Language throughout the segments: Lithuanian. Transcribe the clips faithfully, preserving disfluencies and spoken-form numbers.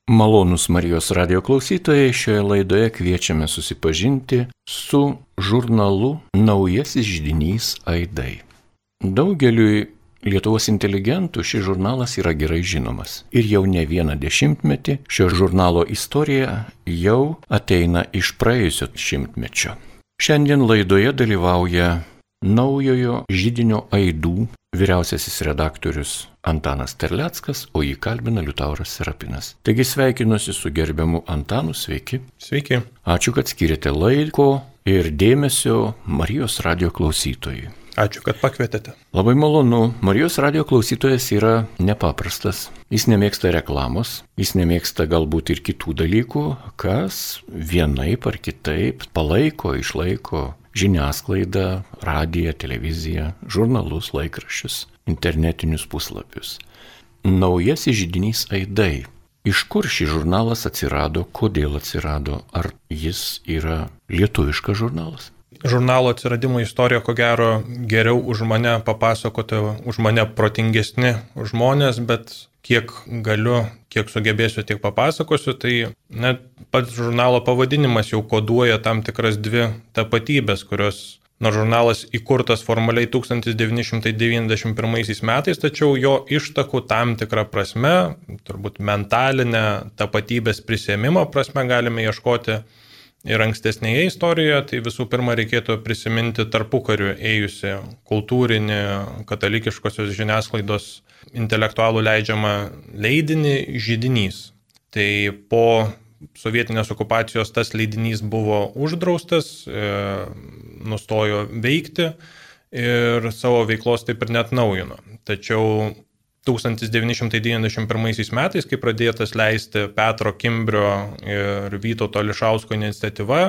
Malonūs Marijos radio klausytojai, šioje laidoje kviečiame susipažinti su žurnalu Naujasis židinys Aidai. Daugeliui Lietuvos inteligentų šis žurnalas yra gerai žinomas. Ir jau ne vieną dešimtmetį šio žurnalo istorija jau ateina iš praėjusio šimtmečio. Šiandien laidoje dalyvauja Naujojo židinio Aidų vyriausiasis redaktorius Antanas Terleckas, o jį kalbina Liutauras Serapinas. Taigi sveikinuosi su gerbiamu Antanu, sveiki. Sveiki. Ačiū, kad skiriate laiko ir dėmesio Marijos radio klausytojui. Ačiū, kad pakvietėte. Labai malonu. Marijos radio klausytojas yra nepaprastas. Jis nemėgsta reklamos, jis nemėgsta galbūt ir kitų dalykų, kas vienaip ar kitaip palaiko, išlaiko žiniasklaidą, radiją, televiziją, žurnalus, laikraščius, internetinius puslapius. Naujasis židinys Aidai. Iš kur šis žurnalas atsirado, kodėl atsirado, ar jis yra lietuviškas žurnalas? Žurnalo atsiradimo istoriją, ko gero, geriau už mane papasakoti, už mane protingesni žmonės, bet kiek galiu, kiek sugebėsiu, tiek papasakosiu, tai net pats žurnalo pavadinimas jau koduoja tam tikras dvi tapatybės, kurios, nors žurnalas įkurtas formaliai tūkstantis devyni šimtai devyniasdešimt pirmaisiais metais, tačiau jo ištakų tam tikrą prasme, turbūt mentalinę tapatybės prisėmimo prasme galime ieškoti ir ankstesnėje istorijoje. Tai visų pirma reikėtų prisiminti tarpukariu ėjusi kultūrinį katalikiškosios žiniasklaidos intelektualų leidžiamą leidinį Židinys. Tai po sovietinės okupacijos tas leidinys buvo uždraustas, e, nustojo veikti ir savo veiklos taip ir neatnaujino. Tačiau tūkstantis devyni šimtai devyniasdešimt pirmaisiais metais, kai pradėtas leisti Petro Kimbrio ir Vytauto Ališausko iniciatyva,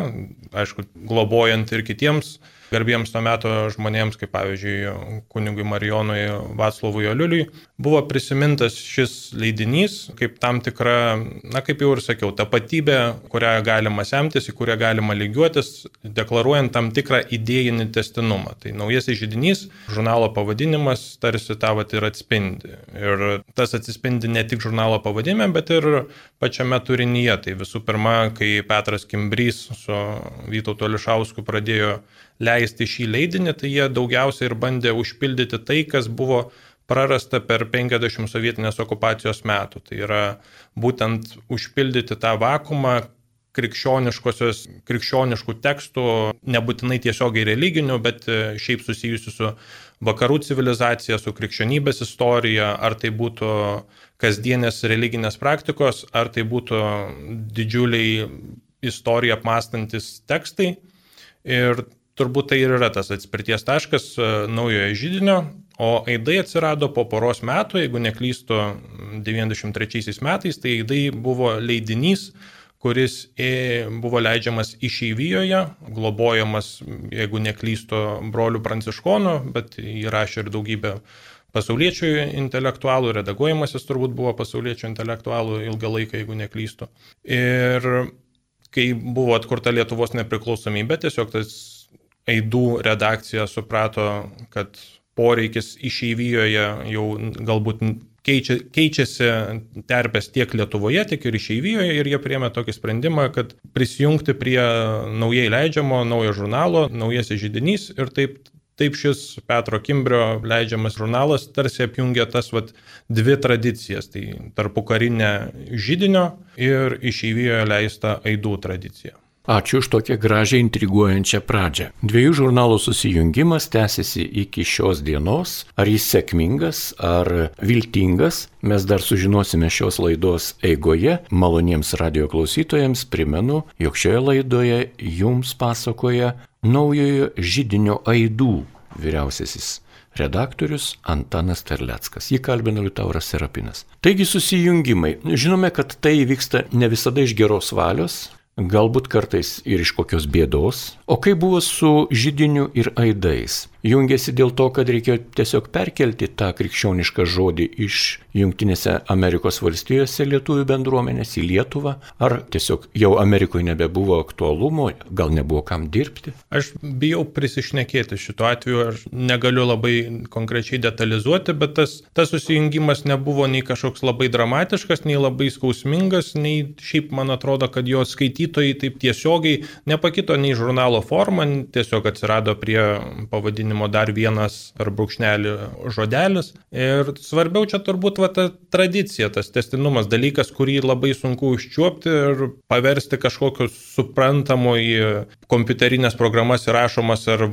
aišku, globojant ir kitiems garbiems to meto žmonėms, kaip pavyzdžiui kunigui Marijonui Vaclovui Oliuliui, buvo prisimintas šis leidinys kaip tam tikra, na kaip jau ir sakiau, tapatybė, kurią galima semtis, į kurią galima lygiuotis, deklaruojant tam tikrą idėjinį testinumą. Tai Naujasis židinys, žurnalo pavadinimas tarsi tą vat ir atspindi. Ir tas atsispindi ne tik žurnalo pavadinime, bet ir pačiame turinyje. Tai visų pirma, kai Petras Kimbrys su Vytautu Ališausku pradėjo leisti šį leidinį, tai jie daugiausiai ir bandė užpildyti tai, kas buvo prarasta per penkiasdešimt sovietinės okupacijos metų. Tai yra būtent užpildyti tą vakumą krikščioniškų tekstų, nebūtinai tiesiogiai religinių, bet šiaip susijusių su vakarų civilizacija, su krikščionybės istorija, ar tai būtų kasdienės religinės praktikos, ar tai būtų didžiuliai istoriją apmąstantis tekstai. Ir turbūt tai ir yra tas atspirties taškas Naujojo židinio, o Aidai atsirado po poros metų, jeigu neklystu, devyniasdešimt trečiaisiais metais, tai Aidai buvo leidinys, kuris buvo leidžiamas išeivijoje, globojamas, jeigu neklystu, brolių pranciškonų, bet jį rašė ir daugybė pasauliečių intelektualų, redaguojamas jis turbūt buvo pasauliečių intelektualų ilgą laiką, jeigu neklystu. Ir kai buvo atkurta Lietuvos nepriklausomybė, tiesiog tas Aidų redakcija suprato, kad poreikis išeivijoje jau galbūt keičia, keičiasi terpės tiek Lietuvoje, tiek ir išeivijoje, ir jie priėmė tokį sprendimą, kad prisijungti prie naujai leidžiamo naujo žurnalo, Naujasis židinys, ir taip, taip šis Petro Kimbrio leidžiamas žurnalas tarsi apjungia tas vat, dvi tradicijas, tai tarpukarinę židinio ir išeivijoje leistą Aidų tradiciją. Ačiū už tokią gražią intriguojančią pradžią. Dviejų žurnalų susijungimas tęsiasi iki šios dienos. Ar jis sėkmingas, ar viltingas, mes dar sužinosime šios laidos eigoje. Maloniems radio klausytojams primenu, jog šioje laidoje jums pasakoja Naujojo židinio Aidų vyriausiasis redaktorius Antanas Terleckas. Jį kalbina Liutauras Serapinas. Taigi susijungimai. Žinome, kad tai vyksta ne visada iš geros valios, galbūt kartais ir iš kokios bėdos. O kaip buvo su židiniu ir Aidais? jungėsi dėl to, kad reikėjo tiesiog perkelti tą krikščionišką žodį iš Jungtinėse Amerikos valstijose lietuvių bendruomenės į Lietuvą, ar tiesiog jau Amerikoje nebebuvo aktualumo, gal nebuvo kam dirbti? Aš bijau prisišnekėti šituo atveju, aš negaliu labai konkrečiai detalizuoti, bet tas, tas susijungimas nebuvo nei kažkoks labai dramatiškas, nei labai skausmingas, nei šiaip man atrodo, kad jo skaitytojai taip tiesiogiai nepakito nei žurnalo forma, tiesiog atsirado prie pavadinimo dar vienas ar brūkšnelį žodelis. Ir svarbiau čia turbūt va, ta tradicija, tas tęstinumas, dalykas, kurį labai sunku užčiuopti ir paversti kažkokiu suprantamu į kompiuterinės programas įrašomas ar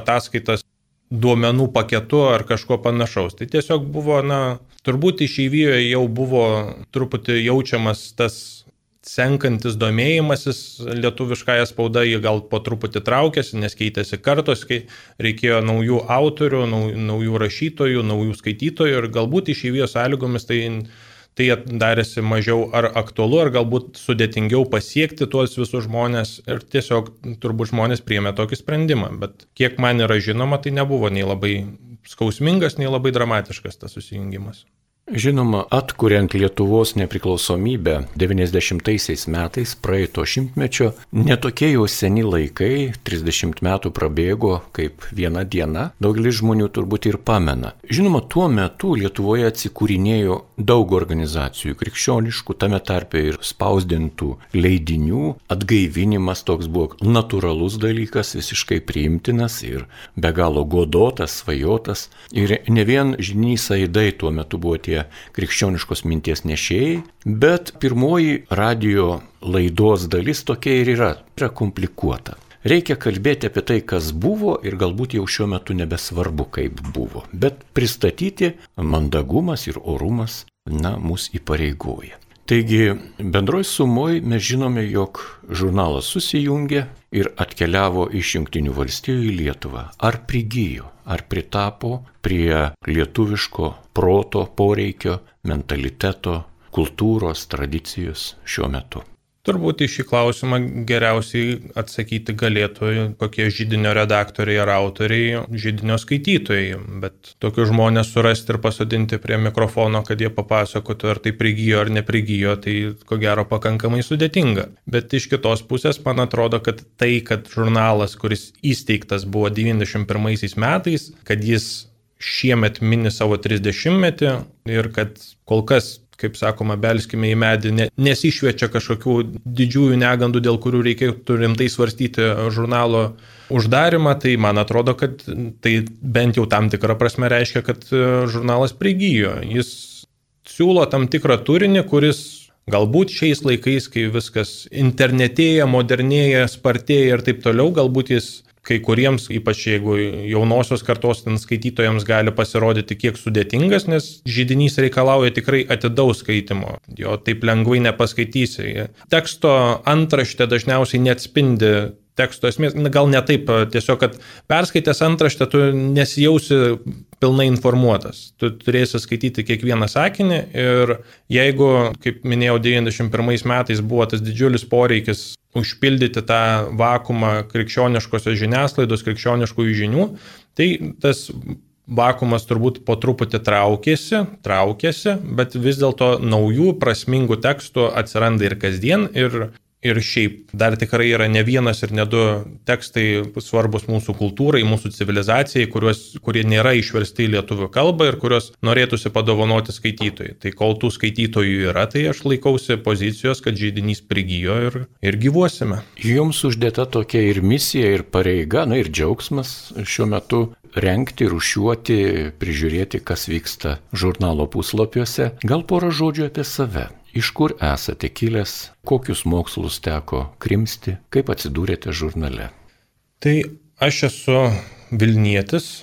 ataskaitas duomenų paketu ar kažko panašaus. Tai tiesiog buvo, na, turbūt išeivijoje jau buvo truputį jaučiamas tas senkantis domėjimasis lietuviškąją spaudą, jį gal po truputį traukėsi, nes keitėsi kartos, kai reikėjo naujų autorių, naujų rašytojų, naujų skaitytojų ir galbūt išeivijos sąlygomis tai, tai darėsi mažiau ar aktualu, ar galbūt sudėtingiau pasiekti tuos visus žmonės ir tiesiog turbūt žmonės priėmė tokį sprendimą, bet kiek man yra žinoma, tai nebuvo nei labai skausmingas, nei labai dramatiškas tas susijungimas. Žinoma, atkuriant Lietuvos nepriklausomybę devyniasdešimtaisiais metais praeito šimtmečio, netokie jau seni laikai, trisdešimt metų prabėgo kaip viena diena, daugelis žmonių turbūt ir pamena. Žinoma, tuo metu Lietuvoje atsikūrinėjo daug organizacijų krikščioniškų, tame tarpe ir spausdintų leidinių, atgaivinimas toks buvo natūralus dalykas, visiškai priimtinas ir be galo godotas, svajotas. Ir ne vien židinys Aidai tuo metu buvo tie krikščioniškos minties nešėjai, bet pirmoji radio laidos dalis tokia ir yra, yra komplikuota. Reikia kalbėti apie tai, kas buvo ir galbūt jau šiuo metu nebesvarbu, kaip buvo, bet pristatyti mandagumas ir orumas, na, mus įpareigoja. Taigi, bendroj sumoj mes žinome, jog žurnalas susijungė ir atkeliavo iš Jungtinių valstijų į Lietuvą. Ar prigijo, ar pritapo prie lietuviško proto, poreikio, mentaliteto, kultūros, tradicijos šiuo metu? Turbūt į šį klausimą geriausiai atsakyti galėtų kokie židinio redaktoriai ar autoriai, židinio skaitytojai, bet tokius žmonės surasti ir pasodinti prie mikrofono, kad jie papasakotų, ar tai prigijo ar neprigijo, tai ko gero pakankamai sudėtinga. Bet iš kitos pusės man atrodo, kad tai, kad žurnalas, kuris įsteigtas buvo devyniasdešimt pirmaisiais metais, kad jis šiemet mini savo trisdešimtmetį ir kad kol kas, kaip sakoma, belskime į medį, ne, nesišviečia kažkokių didžiųjų negandų, dėl kurių reikėtų rimtai svarstyti žurnalo uždarimą, tai man atrodo, kad tai bent jau tam tikrą prasme reiškia, kad žurnalas prigijo. Jis siūlo tam tikrą turinį, kuris galbūt šiais laikais, kai viskas internetėja, modernėja, spartėja ir taip toliau, galbūt jis kai kuriems, ypač jeigu jaunosios kartos ten skaitytojams gali pasirodyti kiek sudėtingas, nes židinys reikalauja tikrai atidaus skaitimo. Jo taip lengvai nepaskaitysi. Teksto antraštė dažniausiai neatspindi teksto esmės, gal ne taip, tiesiog, kad perskaitęs antraštę tu nesijausi pilnai informuotas. Tu turėsi skaityti kiekvieną sakinį ir jeigu, kaip minėjau, devyniasdešimt pirmais metais buvo tas didžiulis poreikis užpildyti tą vakumą krikščioniškosios žiniasklaidos, krikščioniškųjų žinių, tai tas vakumas turbūt po truputį traukėsi, traukėsi, bet vis dėlto naujų prasmingų tekstų atsiranda ir kasdien ir Ir šiaip dar tikrai yra ne vienas ir ne du tekstai svarbus mūsų kultūrai, mūsų civilizacijai, kuriuos, kurie nėra išversti į lietuvių kalbą ir kuriuos norėtųsi padovanoti skaitytojai. Tai kol tų skaitytojų yra, tai aš laikausi pozicijos, kad židinys prigijo ir, ir gyvuosime. Jums uždėta tokia ir misija, ir pareiga, na ir džiaugsmas šiuo metu rengti, rūšiuoti, prižiūrėti, kas vyksta žurnalo puslapiuose. Gal porą žodžių apie save. Iš kur esate kilęs, kokius mokslus teko krimsti, kaip atsidūrėte žurnale? Tai aš esu Vilnietis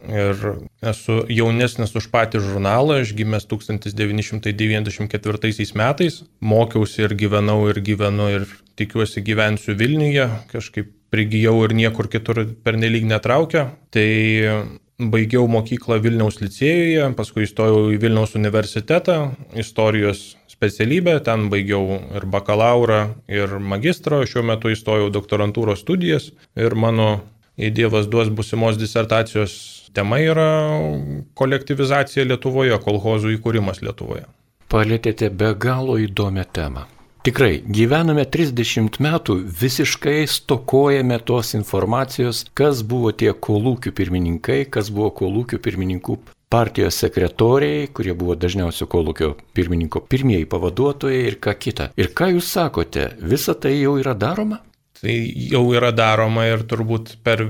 ir esu jaunesnis už patį žurnalą, aš gimęs tūkstantis devyni šimtai devyniasdešimt ketvirtaisiais metais, mokiausi ir gyvenau ir gyvenu ir tikiuosi gyvensiu Vilniuje, kažkaip prigijau ir niekur kitur pernelyg netraukia. Tai baigiau mokyklą Vilniaus licėjuje, paskui įstojau į Vilniaus universitetą, istorijos specialybę, ten baigiau ir bakalaurą, ir magistrą, šiuo metu įstojau doktorantūros studijas ir mano Jei Dievas duos būsimos disertacijos tema yra kolektyvizacija Lietuvoje, kolchozų įkūrimas Lietuvoje. Palėtėte be galo įdomią temą. Tikrai, gyvename trisdešimt metų, visiškai stokojame tos informacijos, kas buvo tie kolūkių pirmininkai, kas buvo kolūkių pirmininkų partijos sekretoriai, kurie buvo dažniausiai kolūkio pirmininko pirmieji pavaduotojai ir ką kita. Ir ką jūs sakote, visa tai jau yra daroma? Tai jau yra daroma ir turbūt per,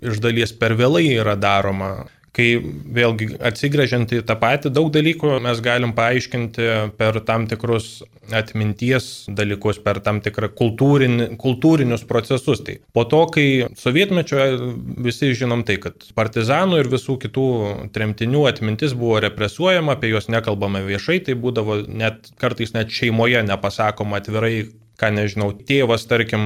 iš dalies per vėlai yra daroma. Kai vėlgi atsigręžiant į tą patį, daug dalykų mes galim paaiškinti per tam tikrus atminties dalykus, per tam tikrą kultūrin, kultūrinius procesus. Tai po to, kai sovietmečio visi žinom tai, kad partizanų ir visų kitų tremtinių atmintis buvo represuojama, apie juos nekalbama viešai, tai būdavo net kartais net šeimoje nepasakoma atvirai, ką nežinau, tėvas, tarkim,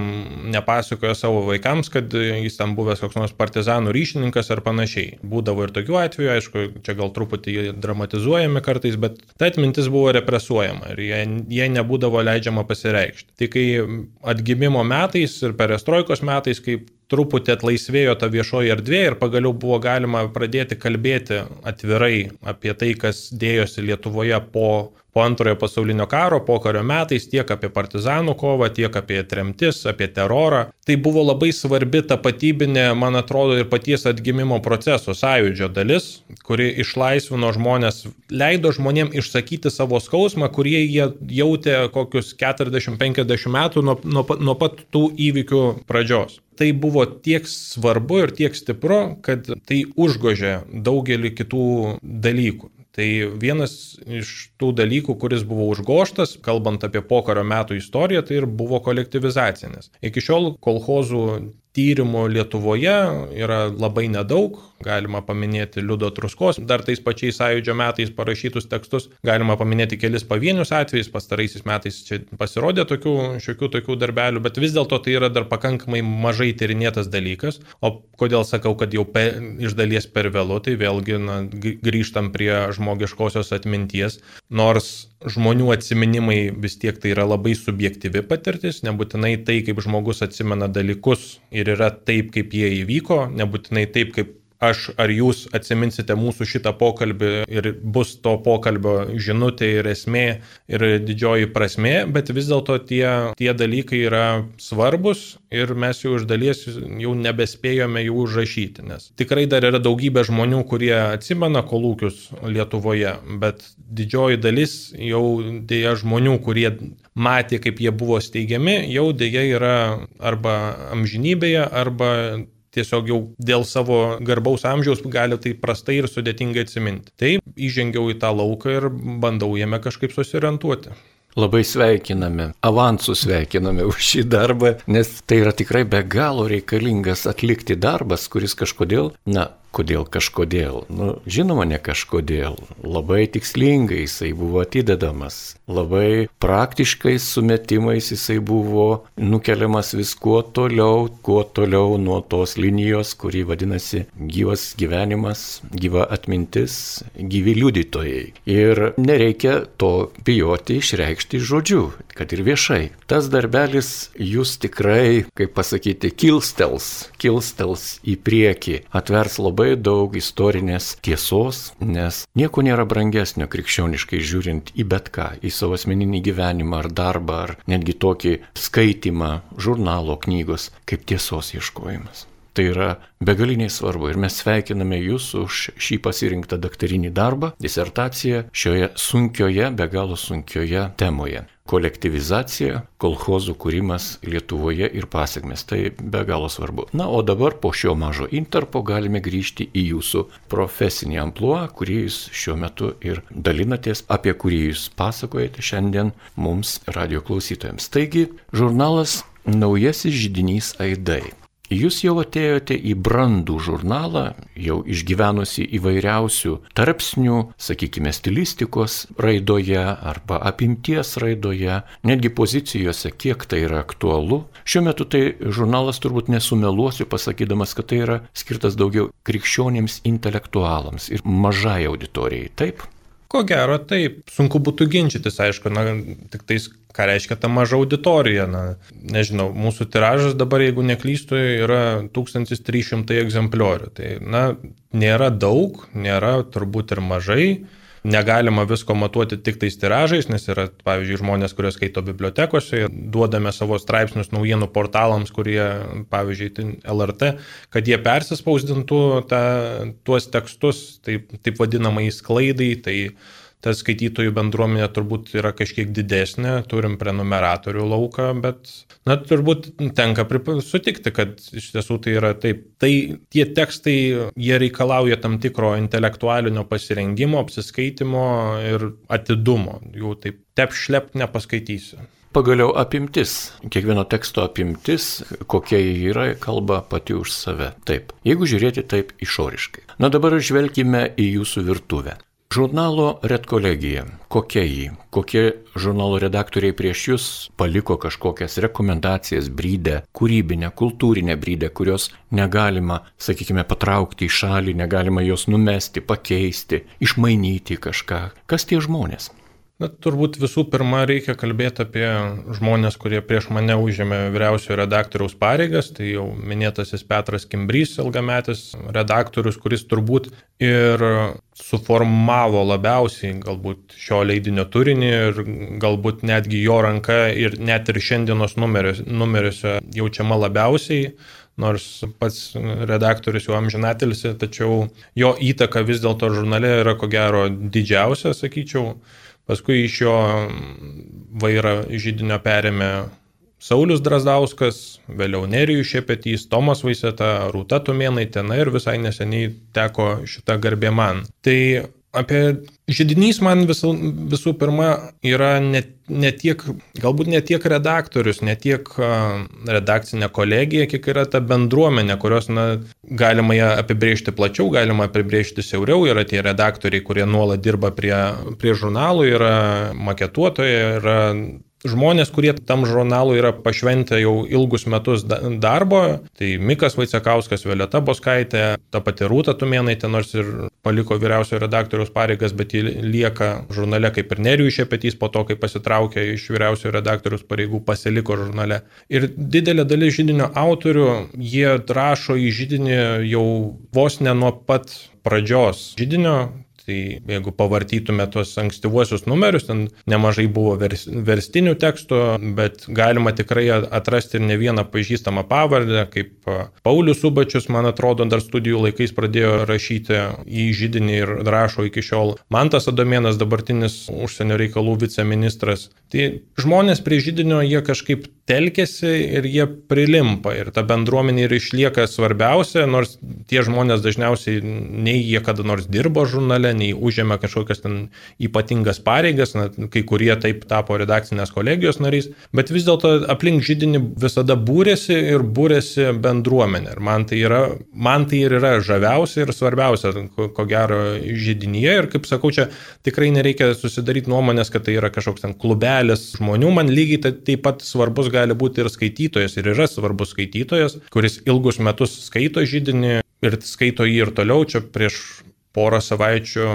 nepasakojo savo vaikams, kad jis tam buvęs koks nors partizanų ryšininkas ar panašiai. Būdavo ir tokių atvejų, aišku, čia gal truputį dramatizuojami kartais, bet ta atmintis buvo represuojama ir jie, jie nebūdavo leidžiama pasireikšti. Tai kai atgimimo metais ir perestroikos metais, kai truputį atlaisvėjo ta viešoji erdvė ir pagaliau buvo galima pradėti kalbėti atvirai apie tai, kas dėjosi Lietuvoje po po antrojo pasaulinio karo, pokario metais, tiek apie partizanų kovą, tiek apie tremtis, apie terorą. Tai buvo labai svarbi tapatybinė, man atrodo, ir paties atgimimo proceso sąjūdžio dalis, kuri išlaisvino žmonės, leido žmonėms išsakyti savo skausmą, kurie jie jautė kokius keturiasdešimt penkiasdešimt metų nuo, nuo, nuo pat tų įvykių pradžios. Tai buvo tiek svarbu ir tiek stipru, kad tai užgožė daugelį kitų dalykų. Tai vienas iš tų dalykų, kuris buvo užgoštas, kalbant apie pokario metų istoriją, tai ir buvo kolektyvizacinis. Iki šiol kolchozų tyrimų Lietuvoje yra labai nedaug, galima paminėti Liudo Truskos, dar tais pačiais sąjūdžio metais parašytus tekstus, galima paminėti kelis pavienius atvejus, pastaraisiais metais čia pasirodė tokių, šiokių tokių darbelių, bet vis dėlto tai yra dar pakankamai mažai tyrinėtas dalykas, o kodėl sakau, kad jau pe, iš dalies per vėlu, tai vėlgi na, grįžtam prie žmogiškosios atminties, nors žmonių atsiminimai vis tiek tai yra labai subjektyvi patirtis, nebūtinai tai, kaip žmogus atsimena dalykus ir yra taip, kaip jie įvyko, nebūtinai taip, kaip aš ar jūs atsiminsite mūsų šitą pokalbį ir bus to pokalbio žinutė ir esmė ir didžioji prasmė, bet vis dėlto tie, tie dalykai yra svarbus ir mes jau iš dalies jau nebespėjome jų užrašyti, nes tikrai dar yra daugybė žmonių, kurie atsimena kolūkius Lietuvoje, bet didžioji dalis jau dėja žmonių, kurie matė, kaip jie buvo steigiami, jau dėja yra arba amžinybėje, arba tiesiog jau dėl savo garbaus amžiaus gali tai prastai ir sudėtingai atsiminti. Tai įžengiau į tą lauką ir bandau jame kažkaip susiorientuoti. Labai sveikiname, avansų sveikiname už šį darbą, nes tai yra tikrai be galo reikalingas atlikti darbas, kuris kažkodėl, na, kodėl kažkodėl, nu, žinoma, ne kažkodėl, labai tikslingai jisai buvo atidedamas, labai praktiškais sumetimais jisai buvo nukeliamas vis kuo toliau, kuo toliau nuo tos linijos, kuri vadinasi gyvas gyvenimas, gyva atmintis, gyvi liudytojai. Ir nereikia to bijoti išreikšti žodžiu, kad ir viešai. Tas darbelis jūs tikrai, kaip pasakyti, kilstels, kilstels į priekį, atvers labai daug istorinės tiesos, nes nieko nėra brangesnio krikščioniškai žiūrint į bet ką, į savo asmeninį gyvenimą ar darbą, ar netgi tokį skaitimą žurnalo, knygos, kaip tiesos ieškojimas. Tai yra begaliniai svarbu ir mes sveikiname jūs už šį pasirinktą daktarinį darbą, disertaciją šioje sunkioje, be galo sunkioje temoje. Kolektyvizacija, kolchozų kūrimas Lietuvoje ir pasekmės. Tai be galo svarbu. Na, o dabar po šio mažo intarpo galime grįžti į jūsų profesinį amplua, kurį jūs šiuo metu ir dalinatės, apie kurį jūs pasakojate šiandien mums radijo klausytojams. Taigi, žurnalas Naujasis židinys Aidai. Jūs jau atėjote į brandų žurnalą, jau išgyvenusi įvairiausių tarpsnių, sakykime, stilistikos raidoje arba apimties raidoje, netgi pozicijose, kiek tai yra aktualu. Šiuo metu tai žurnalas turbūt nesumeluosiu, pasakydamas, kad tai yra skirtas daugiau krikščionėms intelektualams ir mažai auditorijai, taip? Ko gero, taip. Sunku būtų ginčytis, aišku, na, tik tais, ką reiškia ta maža auditorija. Na, nežinau, mūsų tiražas dabar, jeigu neklystu, yra tūkstantis trys šimtai egzempliorių. Tai, na, nėra daug, nėra turbūt ir mažai. Negalima visko matuoti tik tais tiražais, nes yra, pavyzdžiui, žmonės, kurie skaito bibliotekose, duodame savo straipsnius naujienų portalams, kurie, pavyzdžiui, L R T, kad jie persispausdintų ta, tuos tekstus, taip, taip vadinamai sklaidai, tai ta skaitytojų bendruomenė turbūt yra kažkiek didesnė, turim prenumeratorių lauką, bet, na, turbūt tenka sutikti, kad iš tiesų tai yra taip. Tai tie tekstai, jie reikalauja tam tikro intelektualinio pasirengimo, apsiskaitimo ir atidumo. Jų taip tep šlept nepaskaitysi. Pagaliau apimtis, kiekvieno teksto apimtis, kokia jį yra, kalba pati už save. Taip, jeigu žiūrėti taip išoriškai. Na dabar žvelkime į jūsų virtuvę. Žurnalo Redkolegija, kokia jį, kokie žurnalo redaktoriai prieš jūs paliko kažkokias rekomendacijas, brydę, kūrybinę, kultūrinę brydę, kurios negalima, sakykime, patraukti į šalį, negalima jos numesti, pakeisti, išmainyti kažką. Kas tie žmonės? Na, turbūt visų pirma reikia kalbėti apie žmonės, kurie prieš mane užėmė vyriausiojo redaktoriaus pareigas, tai jau minėtasis Petras Kimbrys, ilgametis redaktorius, kuris turbūt ir suformavo labiausiai galbūt šio leidinio turinį ir galbūt netgi jo ranka ir net ir šiandienos numeriuose, numeriuose jaučiama labiausiai. Nors pats redaktorius jau amžinatelis, tačiau jo įtaka vis dėlto žurnale yra ko gero didžiausia, sakyčiau. Paskui iš jo vairą židinio perėmė Saulius Drazdauskas, vėliau Nerijus Šepetys, Tomas Vaiseta, Rūta Tumėnaitė, na ir visai neseniai teko šitą garbę man. Tai apie židinys man visų, visų pirma yra ne, ne tiek, galbūt ne tiek redaktorius, ne tiek redakcinė kolegija, kiek yra ta bendruomenė, kurios na, galima ją apibrėžti plačiau, galima apibrėžti siauriau. Yra tie redaktoriai, kurie nuolat dirba prie, prie žurnalų, yra maketuotojai, yra žmonės, kurie tam žurnalui yra pašventę jau ilgus metus darbo. Tai Mikas Vaicekauskas, Violeta Boskaitė, ta pati Rūta Tumėnaitė, nors ir paliko vyriausiojo redaktoriaus pareigas, bet ji lieka žurnale kaip ir Nerijus Šepetys, po to, kai pasitraukė iš vyriausiojo redaktoriaus pareigų, pasiliko žurnale. Ir didelė dalis židinio autorių, jie rašo į židinį jau vos ne nuo pat pradžios židinio. Tai jeigu pavartytume tuos ankstyvuosius numerius, ten nemažai buvo vers, verstinių tekstų, bet galima tikrai atrasti ir ne vieną pažįstamą pavardę, kaip Paulius Subačius, man atrodo, dar studijų laikais pradėjo rašyti į židinį ir rašo iki šiol. Mantas Adomėnas, dabartinis užsienio reikalų viceministras. Tai žmonės prie židinio jie kažkaip telkėsi ir jie prilimpa ir ta bendruomenė ir išlieka svarbiausia, nors tie žmonės dažniausiai nei jie kada nors dirbo žurnale, nei užėmė kažkokias ten ypatingas pareigas, na, kai kurie taip tapo redakcinės kolegijos nariais, bet vis dėlto aplink židinį visada būrėsi ir būrėsi bendruomenė. Ir man tai, yra, man tai ir yra žaviausia ir svarbiausia, ko, ko gero, židinyje. Ir kaip sakau, čia tikrai nereikia susidaryti nuomonės, kad tai yra kažkoks ten klubelis žmonių. Man lygiai taip pat svarbus gali būti ir skaitytojas, ir yra svarbus skaitytojas, kuris ilgus metus skaito židinį ir skaito jį ir toliau. Čia prieš porą savaičių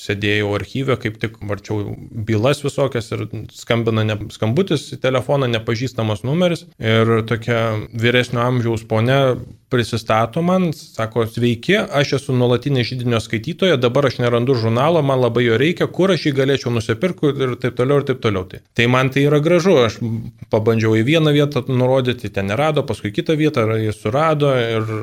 sėdėjau archyve, kaip tik varčiau bylas visokias ir skambina ne, skambutis į telefoną, nepažįstamas numeris. Ir tokia vyresnio amžiaus ponia prisistato man, sako, sveiki, aš esu nuolatinė židinio skaitytoja, dabar aš nerandu žurnalo, man labai jo reikia, kur aš jį galėčiau nusipirkti ir taip toliau ir taip toliau. Tai, tai man tai yra gražu, aš pabandžiau į vieną vietą nurodyti, ten nerado, paskui kitą vietą jis surado ir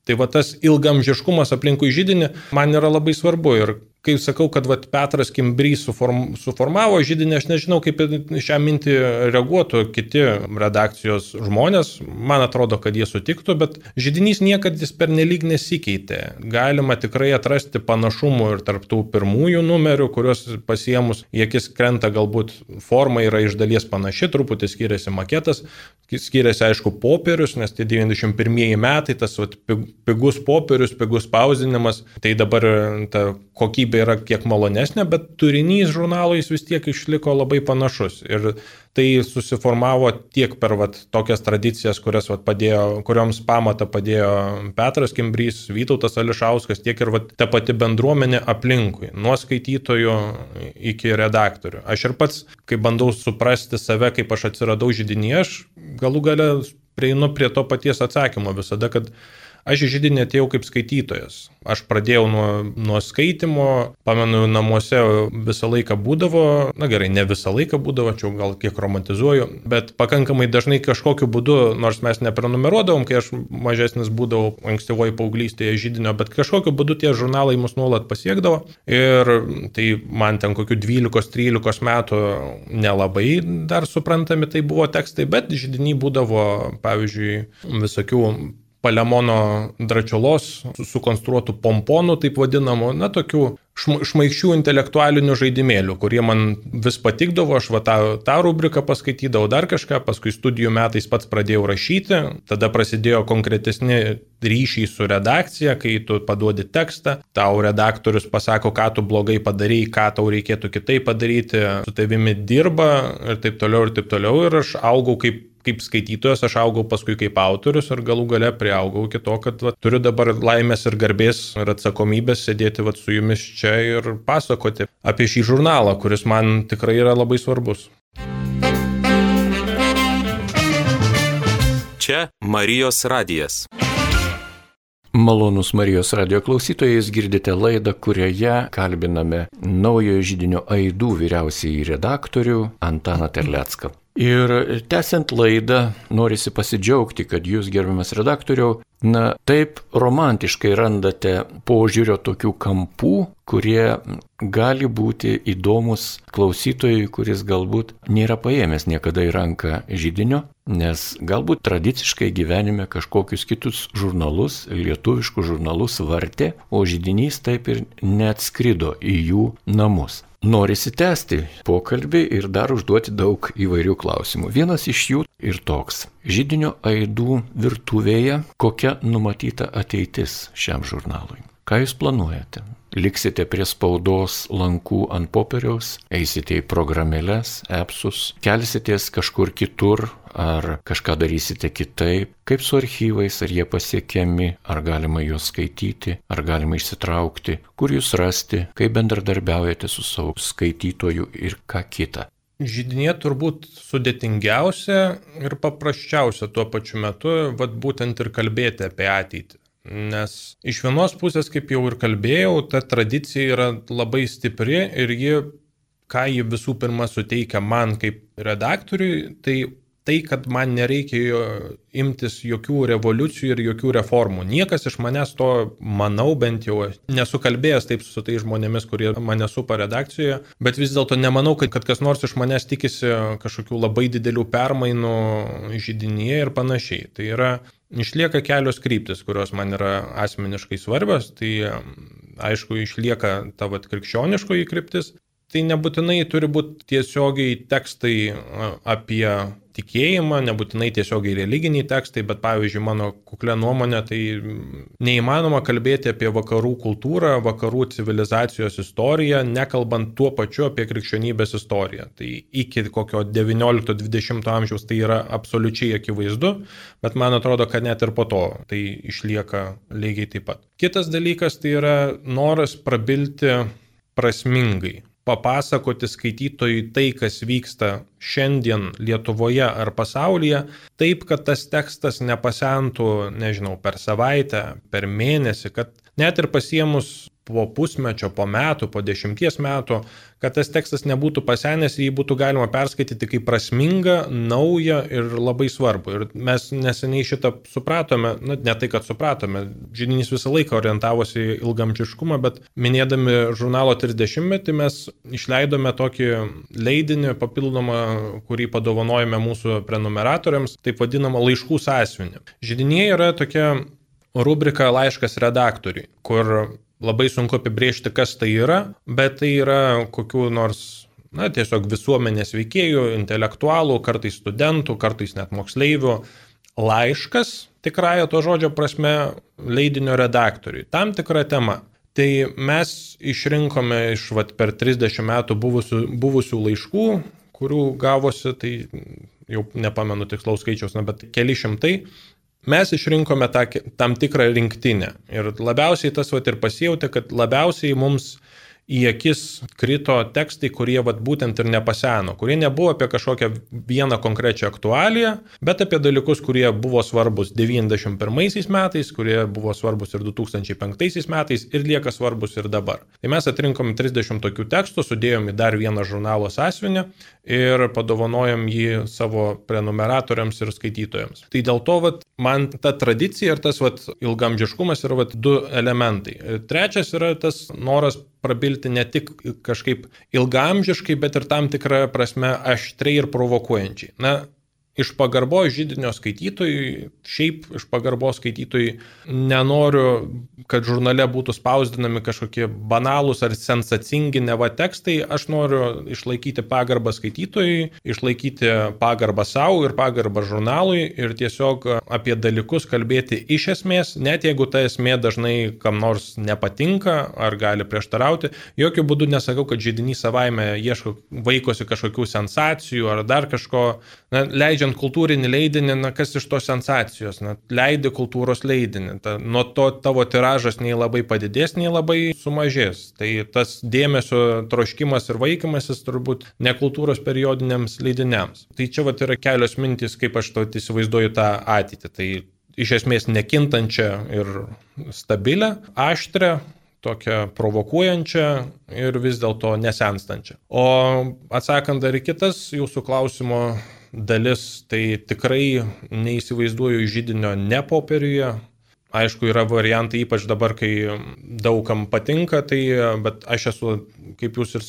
tai va tas ilgamžiškumas aplinkui židinį man yra labai svarbu. Ir kai sakau, kad va, Petras Kimbrys suform, suformavo židinį, aš nežinau, kaip šią mintį reaguotų kiti redakcijos žmonės. Man atrodo, kad jie sutiktų, bet židinys niekad jis pernelyg nesikeitė. Galima tikrai atrasti panašumų ir tarp tų pirmųjų numerių, kuriuos pasiemus į akis krenta, galbūt forma yra iš dalies panaši, truputį skiriasi maketas, skiriasi aišku popierius, nes tie devyniasdešimt pirmieji metai, tas va, pigus popierius, pigus spausdinimas, tai dabar ta kokybė kasdienybė yra kiek malonesnė, bet turinys žurnalo jis vis tiek išliko labai panašus. Ir tai susiformavo tiek per vat, tokias tradicijas, kurias vat, padėjo, kurioms pamatą padėjo Petras Kimbrys, Vytautas Ališauskas, tiek ir vat, ta pati bendruomenė aplinkui, nuo skaitytojų iki redaktorių. Aš ir pats, kai bandau suprasti save, kaip aš atsiradau židinyje, aš galų gale prieinu prie to paties atsakymo visada, kad aš į židinį atėjau kaip skaitytojas. Aš pradėjau nuo, nuo skaitimo, pamenu, namuose visą laiką būdavo, na gerai, ne visą laiką būdavo, čia gal kiek romantizuoju, bet pakankamai dažnai kažkokiu būdu, nors mes neprenumeruodavom, kai aš mažesnis būdavau ankstyvoji paauglystėje židinio, bet kažkokiu būdu tie žurnalai mus nuolat pasiekdavo. Ir tai man ten kokių dvylikos trylikos metų nelabai dar suprantami tai buvo tekstai, bet židinį būdavo, pavyzdžiui, visokių Palemono Dračiolos sukonstruotų pomponų, taip vadinamų, na, tokių šmaikščių intelektualinių žaidimėlių, kurie man vis patikdavo, aš va tą, tą rubriką paskaitydavau dar kažką, paskui studijų metais pats pradėjau rašyti, tada prasidėjo konkretesni ryšiai su redakcija, kai tu paduodi tekstą, tau redaktorius pasako, ką tu blogai padarei, ką tau reikėtų kitaip padaryti, su tavimi dirba ir taip toliau ir taip toliau, ir aš augau kaip kaip skaitytojas, aš augau paskui kaip autorius ir galų gale priaugau iki to, kad va, turiu dabar laimės ir garbės ir atsakomybės sėdėti va, su jumis čia ir pasakoti apie šį žurnalą, kuris man tikrai yra labai svarbus. Čia Marijos radijas. Malonus Marijos radijo klausytojai, girdite laidą, kurioje kalbiname naujojo židinio Aidų vyriausiąjį redaktorių Antaną Terlecką. Ir tęsiant laidą, norisi pasidžiaugti, kad jūs, gerbiamas redaktoriau, na, taip romantiškai randate požiūrio tokių kampų, kurie gali būti įdomus klausytojui, kuris galbūt nėra paėmęs niekada į ranką židinio, nes galbūt tradiciškai gyvenime kažkokius kitus žurnalus, lietuviškus žurnalus vartė, o židinys taip ir neatskrido į jų namus. Norisi tęsti pokalbį ir dar užduoti daug įvairių klausimų. Vienas iš jų ir toks. Židinio Aidų virtuvėje kokia numatyta ateitis šiam žurnalui? Ką jūs planuojate? Liksite prie spaudos lankų ant popieriaus, eisite į programėles, appsus, kelsitės kažkur kitur, ar kažką darysite kitaip, kaip su archyvais, ar jie pasiekiami, ar galima juos skaityti, ar galima išsitraukti, kur jūs rasti, kaip bendradarbiaujate su savo skaitytoju ir ką kita. Židinė turbūt sudėtingiausia ir paprasčiausia tuo pačiu metu, vat būtent ir kalbėti apie ateitį. Nes iš vienos pusės, kaip jau ir kalbėjau, ta tradicija yra labai stipri ir ji, ką ji visų pirma suteikia man kaip redaktoriui, tai tai, kad man nereikia imtis jokių revoliucijų ir jokių reformų. Niekas iš manęs to, manau, bent jau nesu kalbėjęs taip su tai žmonėmis, kurie mane supa redakcijoje, bet vis dėlto nemanau, kad, kad kas nors iš manęs tikisi kažkokių labai didelių permainų židinyje ir panašiai. Tai yra, išlieka kelios kryptis, kurios man yra asmeniškai svarbios, tai aišku, išlieka ta vat krikščioniškoji kryptis. Tai nebūtinai turi būti tiesiogiai tekstai apie tikėjimą, nebūtinai tiesiogiai religiniai tekstai, bet pavyzdžiui, mano kuklia nuomonė, tai neįmanoma kalbėti apie vakarų kultūrą, vakarų civilizacijos istoriją, nekalbant tuo pačiu apie krikščionybės istoriją. Tai iki kokio devyniolikto dvidešimto amžiaus tai yra absoliučiai akivaizdu, bet man atrodo, kad net ir po to tai išlieka lygiai taip pat. Kitas dalykas tai yra noras prabilti prasmingai. Papasakoti skaitytojui tai, kas vyksta šiandien Lietuvoje ar pasaulyje, taip, kad tas tekstas nepasentų, nežinau, per savaitę, per mėnesį, kad net ir pasiemus po pusmečio, po metų, po dešimties metų, kad tas tekstas nebūtų pasenęs ir jį būtų galima perskaityti kaip prasmingą, naują ir labai svarbų. Ir mes neseniai šitą supratome, na, ne tai, kad supratome, židinys visą laiką orientavosi į ilgamžiškumą, bet minėdami žurnalo trisdešimtmetį mes išleidome tokį leidinį papildomą, kurį padovanojame mūsų prenumeratoriams, taip vadinamą laiškų sąsiuvinį. Židinyje yra tokia rubrika laiškas redaktoriui, kur labai sunku apibrėžti, kas tai yra, bet tai yra kokių nors, na, tiesiog visuomenės veikėjų, intelektualų, kartais studentų, kartais net moksleivių laiškas, tikrąja to žodžio prasme, leidinio redaktoriui. Tam tikra tema. Tai mes išrinkome iš vat, per trisdešimt metų buvusių, buvusių laiškų, kurių gavosi, tai jau nepamenu tikslaus skaičiaus, na, bet keli šimtai. Mes išrinkome tą, tam tikrą rinktinę. Ir labiausiai tas vat, ir pasijautė, kad labiausiai mums į akis krito tekstai, kurie vat, būtent ir nepaseno, kurie nebuvo apie kažkokią vieną konkrečią aktualiją, bet apie dalykus, kurie buvo svarbus devyniasdešimt pirmaisiais metais, kurie buvo svarbus ir du tūkstančiai penktaisiais metais ir lieka svarbus ir dabar. Tai mes atrinkom trisdešimt tokių tekstų, sudėjom į dar vieną žurnalo sąsiuvinį ir padovanojom jį savo prenumeratoriams ir skaitytojams. Tai dėl to vat, man ta tradicija ir tas vat, ilgamžiškumas yra vat, du elementai. Trečias yra tas noras prabilti ne tik kažkaip ilgaamžiškai, bet ir tam tikrą prasme aštriai ir provokuojančiai. Na, iš pagarbos židinio skaitytojui, šiaip iš pagarbos skaitytojui nenoriu, kad žurnale būtų spausdinami kažkokie banalūs ar sensacingi neva tekstai, aš noriu išlaikyti pagarbą skaitytojui, išlaikyti pagarbą savo ir pagarbą žurnalui ir tiesiog apie dalykus kalbėti iš esmės, net jeigu ta esmė dažnai kam nors nepatinka ar gali prieštarauti. Jokių būdų nesakau, kad židinys savaime ieško, vaikosi kažkokių sensacijų ar dar kažko, na, leidžia kultūrinį leidinį, na, kas iš to sensacijos, na, leidi kultūros leidinį, ta, nuo to tavo tiražas nei labai padidės, nei labai sumažės. Tai tas dėmesio troškimas ir vaikymasis turbūt ne kultūros periodiniams leidiniams. Tai čia vat yra kelios mintys, kaip aš to įsivaizduoju tą ateitį. Tai iš esmės nekintančią ir stabilę, aštrę, tokią provokuojančią ir vis dėlto nesenstančią. O atsakant dar į kitas jūsų klausimo dalis, tai tikrai neįsivaizduoju židinio ne popieriuje. Aišku, yra variantai, ypač dabar, kai daugam patinka, tai, bet aš esu, kaip jūs ir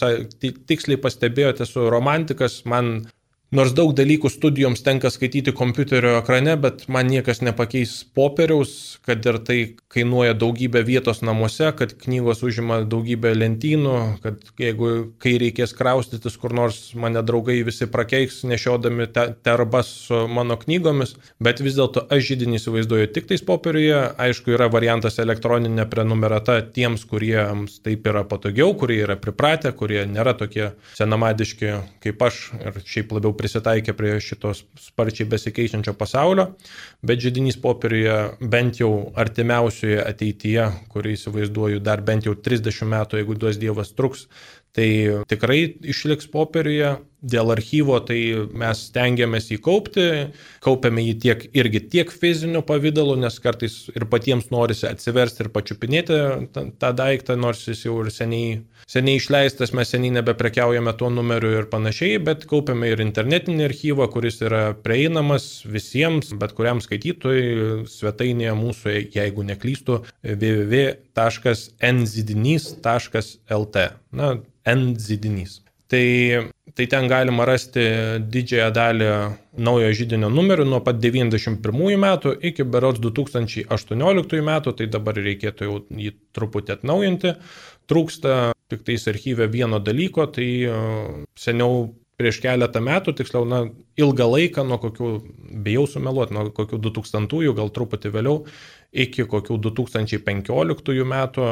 tiksliai pastebėjote, esu romantikas, man nors daug dalykų studijoms tenka skaityti kompiuterio ekrane, bet man niekas nepakeis popieriaus, kad ir tai kainuoja daugybę vietos namuose, kad knygos užima daugybę lentynų, kad jeigu kai reikės kraustytis kur nors, mane draugai visi prakeiks nešiodami te, terbas su mano knygomis, bet vis dėlto aš židinį įsivaizduoju tik tais popieriuje. Aišku, yra variantas elektroninė prenumerata tiems, kuriems taip yra patogiau, kurie yra pripratę, kurie nėra tokie senamadiški kaip aš ir šiaip labiau prisitaikė prie šitos sparčiai besikeičiančio pasaulio, bet židinys popieriuje bent jau artimiausioje ateityje, kurį įsivaizduoju dar bent jau trisdešimt metų, jeigu duos Dievas truks, tai tikrai išliks popieriuje. Dėl archyvo tai mes stengiamės jį kaupti, kaupiame jį tiek irgi tiek fiziniu pavidalu, nes kartais ir patiems norisi atsiversti ir pačiupinėti tą, tą daiktą, nors jis jau ir seniai, seniai išleistas, mes seniai nebeprekiaujame tuo numeriu ir panašiai, bet kaupiame ir internetinį archyvą, kuris yra prieinamas visiems, bet kuriam skaitytojui svetainėje mūsų, jeigu neklystu, w w w taškas n zidinys taškas l t. Na, N-zidinys. Tai, tai ten galima rasti didžiąją dalį naujo židinio numerių nuo pat devyniasdešimt pirmųjų metų iki berods du tūkstančiai aštuonioliktųjų metų, tai dabar reikėtų jau jį truputį atnaujinti. Trūksta tik tais archyve vieno dalyko, tai seniau prieš keletą metų, tiksliau, na, ilgą laiką, nuo kokių, bijau sumeluoti, nuo kokių du tūkstantųjų, gal truputį vėliau, iki kokių du tūkstančiai penkioliktųjų metų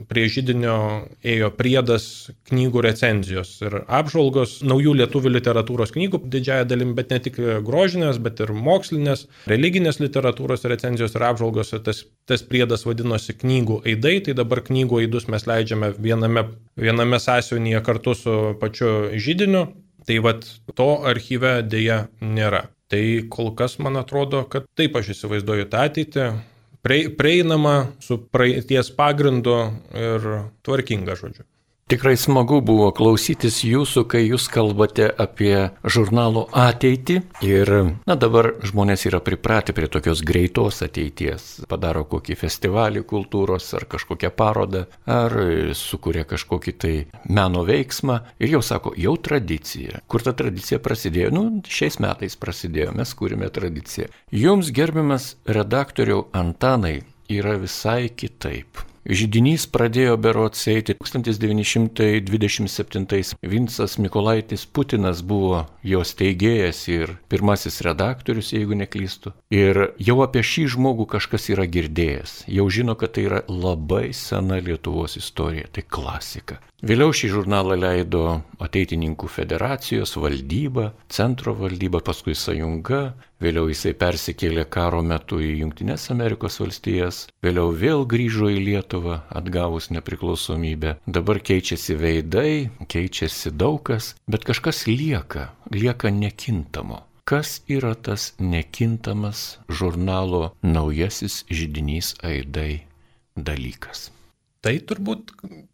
prie židinio ėjo priedas knygų recenzijos ir apžvalgos naujų lietuvių literatūros knygų didžiąją dalim, bet ne tik grožinės, bet ir mokslinės, religinės literatūros recenzijos ir apžvalgos. Tas, tas priedas vadinosi knygų aidai, tai dabar knygų aidus mes leidžiame viename, viename sąsiuvinyje kartu su pačiu židiniu. Tai vat to archyve dėja nėra. Tai kol kas man atrodo, kad taip aš įsivaizduoju tą ateitį. Prieinama su praeities pagrindu ir tvarkinga, žodžiu. Tikrai smagu buvo klausytis jūsų, kai jūs kalbate apie žurnalų ateitį ir, na, dabar žmonės yra pripratę prie tokios greitos ateities. Padaro kokį festivalį kultūros ar kažkokią parodą, ar sukuria kažkokį tai meno veiksmą ir jau sako, jau tradicija. Kur ta tradicija prasidėjo? Nu, šiais metais prasidėjo, mes kūrime tradiciją. Jums, gerbiamas redaktoriau Antanai, yra visai kitaip. Židinys pradėjo berods eiti tūkstantis devyni šimtai dvidešimt septintais. Vincas Mykolaitis Putinas buvo jo steigėjas ir pirmasis redaktorius, jeigu neklystu. Ir jau apie šį žmogų kažkas yra girdėjęs. Jau žino, kad tai yra labai sena Lietuvos istorija, tai klasika. Vėliau šį žurnalą leido Ateitininkų federacijos valdyba, centro valdyba, paskui sąjunga, vėliau jisai persikėlė karo metu į Jungtines Amerikos valstijas, vėliau vėl grįžo į Lietuvą atgavus nepriklausomybę. Dabar keičiasi veidai, keičiasi daug kas, bet kažkas lieka, lieka nekintamo. Kas yra tas nekintamas žurnalo Naujasis židinys Aidai dalykas? Tai turbūt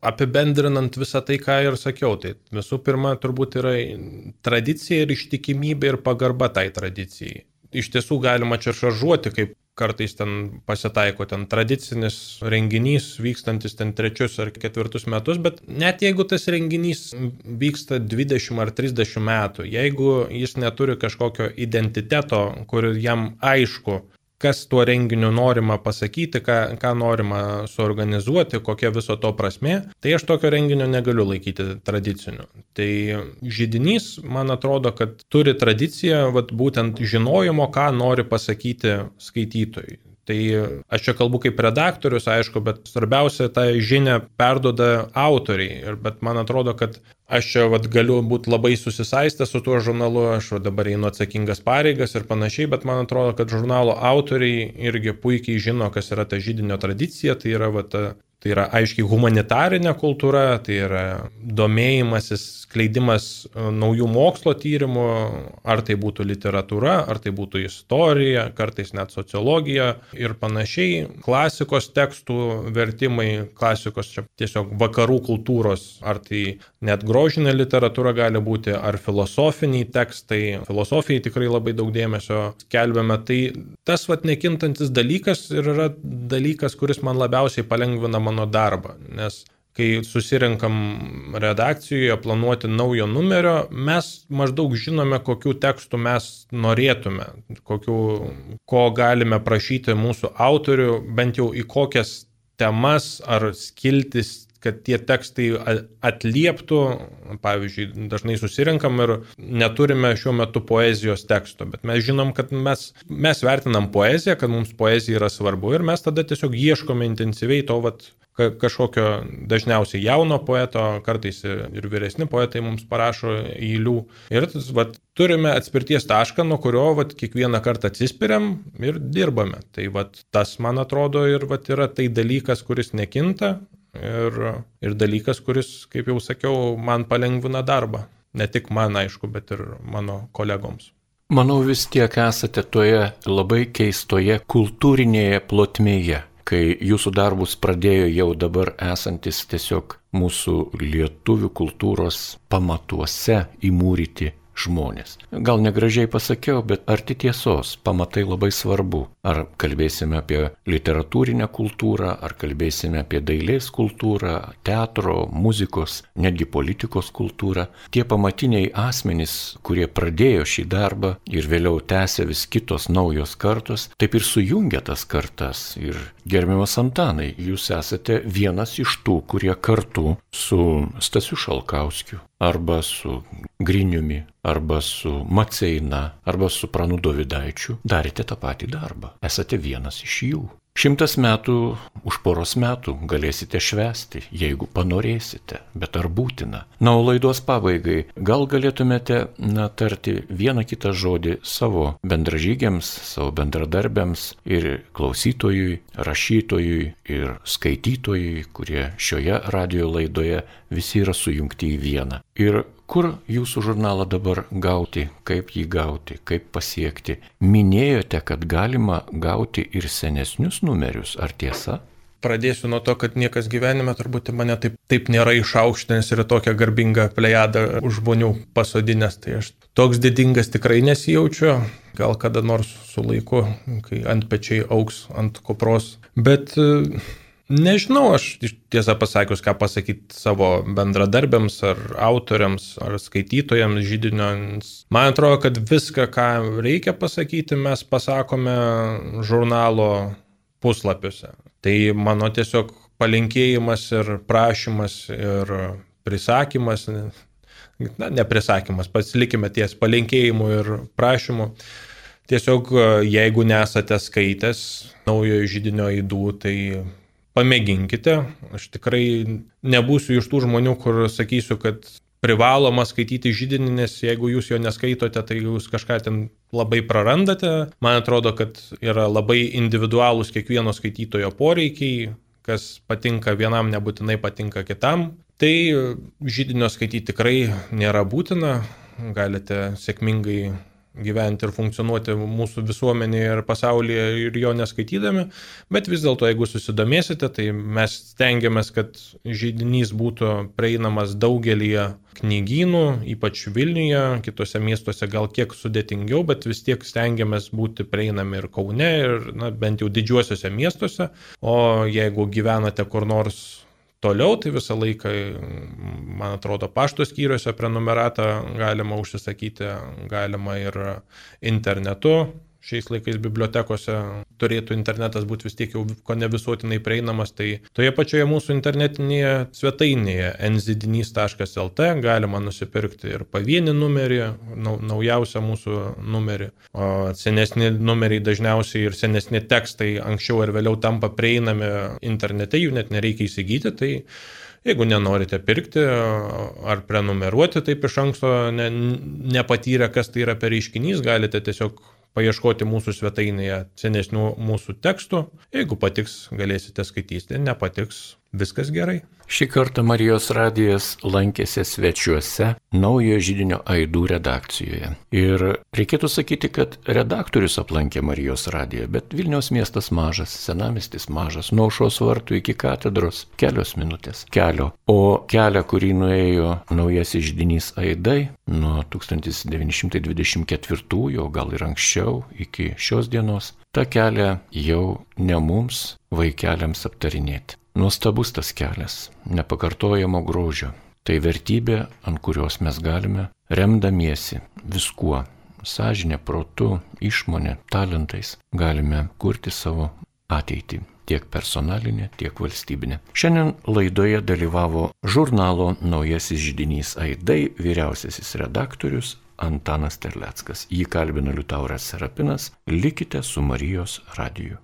apibendrinant visą tai, ką ir sakiau, tai visų pirma turbūt yra tradicija ir ištikimybė ir pagarba tai tradicijai. Iš tiesų galima čia šaržuoti, kaip kartais ten pasitaiko ten tradicinis renginys vykstantis ten trečius ar ketvirtus metus, bet net jeigu tas renginys vyksta dvidešimt ar trisdešimt metų, jeigu jis neturi kažkokio identiteto, kur jam aišku, kas tuo renginiu norima pasakyti, ką, ką norima suorganizuoti, kokia viso to prasmė, tai aš tokio renginio negaliu laikyti tradiciniu. Tai židinys, man atrodo, kad turi tradiciją vat, būtent žinojimo, ką nori pasakyti skaitytojai. Tai aš čia kalbu kaip redaktorius, aišku, bet svarbiausia, tą žinią perduoda autoriai. Bet man atrodo, kad aš čia vat, galiu būti labai susisaistęs su tuo žurnalu, aš dabar einu atsakingas pareigas ir panašiai, bet man atrodo, kad žurnalo autoriai irgi puikiai žino, kas yra ta židinio tradicija, tai yra, vat, tai yra aiškiai humanitarinė kultūra, tai yra domėjimasis, skleidimas naujų mokslo tyrimų, ar tai būtų literatūra, ar tai būtų istorija, kartais net sociologija ir panašiai, klasikos tekstų vertimai, klasikos čia tiesiog vakarų kultūros, ar tai net grožinė literatūra gali būti, ar filosofiniai tekstai, filosofijai tikrai labai daug dėmesio skelbiame. Tai tas vat nekintantis dalykas ir yra dalykas, kuris man labiausiai palengvina mano darbą, nes kai susirinkam redakcijoje planuoti naujo numerio, mes maždaug žinome, kokių tekstų mes norėtume, kokių, ko galime prašyti mūsų autorių, bent jau į kokias temas ar skiltis, kad tie tekstai atlieptų. Pavyzdžiui, dažnai susirinkam ir neturime šiuo metu poezijos teksto, bet mes žinom, kad mes, mes vertinam poeziją, kad mums poezija yra svarbu ir mes tada tiesiog ieškome intensyviai to vat, kažkokio dažniausiai jauno poeto, kartais ir vyresni poetai mums parašo eilių. Ir vat, turime atspirties tašką, nuo kurio vat, kiekvieną kartą atsispiriam ir dirbame. Tai vat, tas, man atrodo, ir vat, yra tai dalykas, kuris nekinta. Ir, ir dalykas, kuris, kaip jau sakiau, man palengvina darbą. Ne tik man, aišku, bet ir mano kolegoms. Manau, vis tiek esate toje labai keistoje kultūrinėje plotmėje, kai jūsų darbus pradėjo jau dabar esantis tiesiog mūsų lietuvių kultūros pamatuose įmūryti žmonės. Gal negražiai pasakiau, bet arti tiesos, pamatai labai svarbu. Ar kalbėsime apie literatūrinę kultūrą, ar kalbėsime apie dailės kultūrą, teatro, muzikos, netgi politikos kultūrą. Tie pamatiniai asmenys, kurie pradėjo šį darbą ir vėliau tęsė vis kitos naujos kartos, taip ir sujungia tas kartas. Ir gerbiamas Antanai, jūs esate vienas iš tų, kurie kartu su Stasiu Šalkauskiu, arba su Griniumi, arba su Maceina, arba su Pranu Dovydaičiu darėte tą patį darbą. Esate vienas iš jų. Šimtas metų už poros metų galėsite švęsti, jeigu panorėsite, bet ar būtina? Na, o laidos pabaigai, gal galėtumėte na, tarti vieną kitą žodį savo bendražygiams, savo bendradarbiams ir klausytojui, rašytojui ir skaitytojui, kurie šioje radijo laidoje visi yra sujungti į vieną. Ir kur jūsų žurnalą dabar gauti, kaip jį gauti, kaip pasiekti? Minėjote, kad galima gauti ir senesnius numerius, ar tiesa? Pradėsiu nuo to, kad niekas gyvenime turbūt mane taip, taip nėra išaukštinęs ir tokią garbingą plejadą žmonių pasodinęs. Tai aš toks didingas tikrai nesijaučiu, gal kada nors su laiku, kai ant pečiai augs ant kopros. Bet nežinau, aš tiesą pasakius, ką pasakyti savo bendradarbiams ar autoriams ar skaitytojams židinio. Man atrodo, kad viską, ką reikia pasakyti, mes pasakome žurnalo puslapiuose. Tai mano tiesiog palinkėjimas ir prašymas ir prisakymas, na, ne prisakymas, pats likime ties palinkėjimu ir prašymu. Tiesiog jeigu nesate skaitęs naujojo židinio aidų, tai pamėginkite. Aš tikrai nebūsiu iš tų žmonių, kur sakysiu, kad privaloma skaityti židinį, nes jeigu jūs jo neskaitote, tai jūs kažką ten labai prarandate. Man atrodo, kad yra labai individualūs kiekvieno skaitytojo poreikiai, kas patinka vienam, nebūtinai patinka kitam. Tai židinio skaityti tikrai nėra būtina, galite sėkmingai gyventi ir funkcionuoti mūsų visuomenėje ir pasaulyje ir jo neskaitydami, bet vis dėlto, jeigu susidomėsite, tai mes stengiamės, kad židinys būtų prieinamas daugelyje knygynų, ypač Vilniuje, kitose miestuose gal kiek sudėtingiau, bet vis tiek stengiamės būti prieinami ir Kaune, ir na, bent jau didžiuosiuose miestuose, o jeigu gyvenate kur nors toliau, tai visą laiką, man atrodo, pašto skyriuose prenumeratą galima užsisakyti, galima ir internetu. Šiais laikais bibliotekose turėtų internetas būti vis tiek jau ko ne visuotinai prieinamas, tai toje pačioje mūsų internetinėje svetainėje en zidinys taškas el te galima nusipirkti ir pavienį numerį, naujausią mūsų numerį. O senesni numeriai dažniausiai ir senesni tekstai anksčiau ar vėliau tampa prieinami internete, jų net nereikia įsigyti, tai jeigu nenorite pirkti ar prenumeruoti taip iš anksto, ne, nepatyrę, kas tai yra per reiškinys, galite tiesiog paieškoti mūsų svetainėje senesnių mūsų tekstų. Jeigu patiks, galėsite skaityti, nepatiks, viskas gerai. Šį kartą Marijos radijas lankėsi svečiuose naujojo židinio aidų redakcijoje. Ir reikėtų sakyti, kad redaktorius aplankė Marijos radiją, bet Vilniaus miestas mažas, senamiestis mažas, nuo Aušros vartų iki katedros kelios minutės kelio. O kelią, kurį nuėjo naujasis židinys aidai nuo tūkstantis devyni šimtai dvidešimt ketvirtųjų, gal ir anksčiau, iki šios dienos, tą kelią jau ne mums, vaikeliams aptarinėti. Nuostabus tas kelias, nepakartojamo grožio. Tai vertybė, ant kurios mes galime, remdamiesi viskuo, sąžinė, protu, išmonė, talentais, galime kurti savo ateitį, tiek personalinė, tiek valstybinė. Šiandien laidoje dalyvavo žurnalo Naujasis židinys aidai vyriausiasis redaktorius Antanas Terleckas. Jį kalbino Liutauras Serapinas. Likite su Marijos radiju.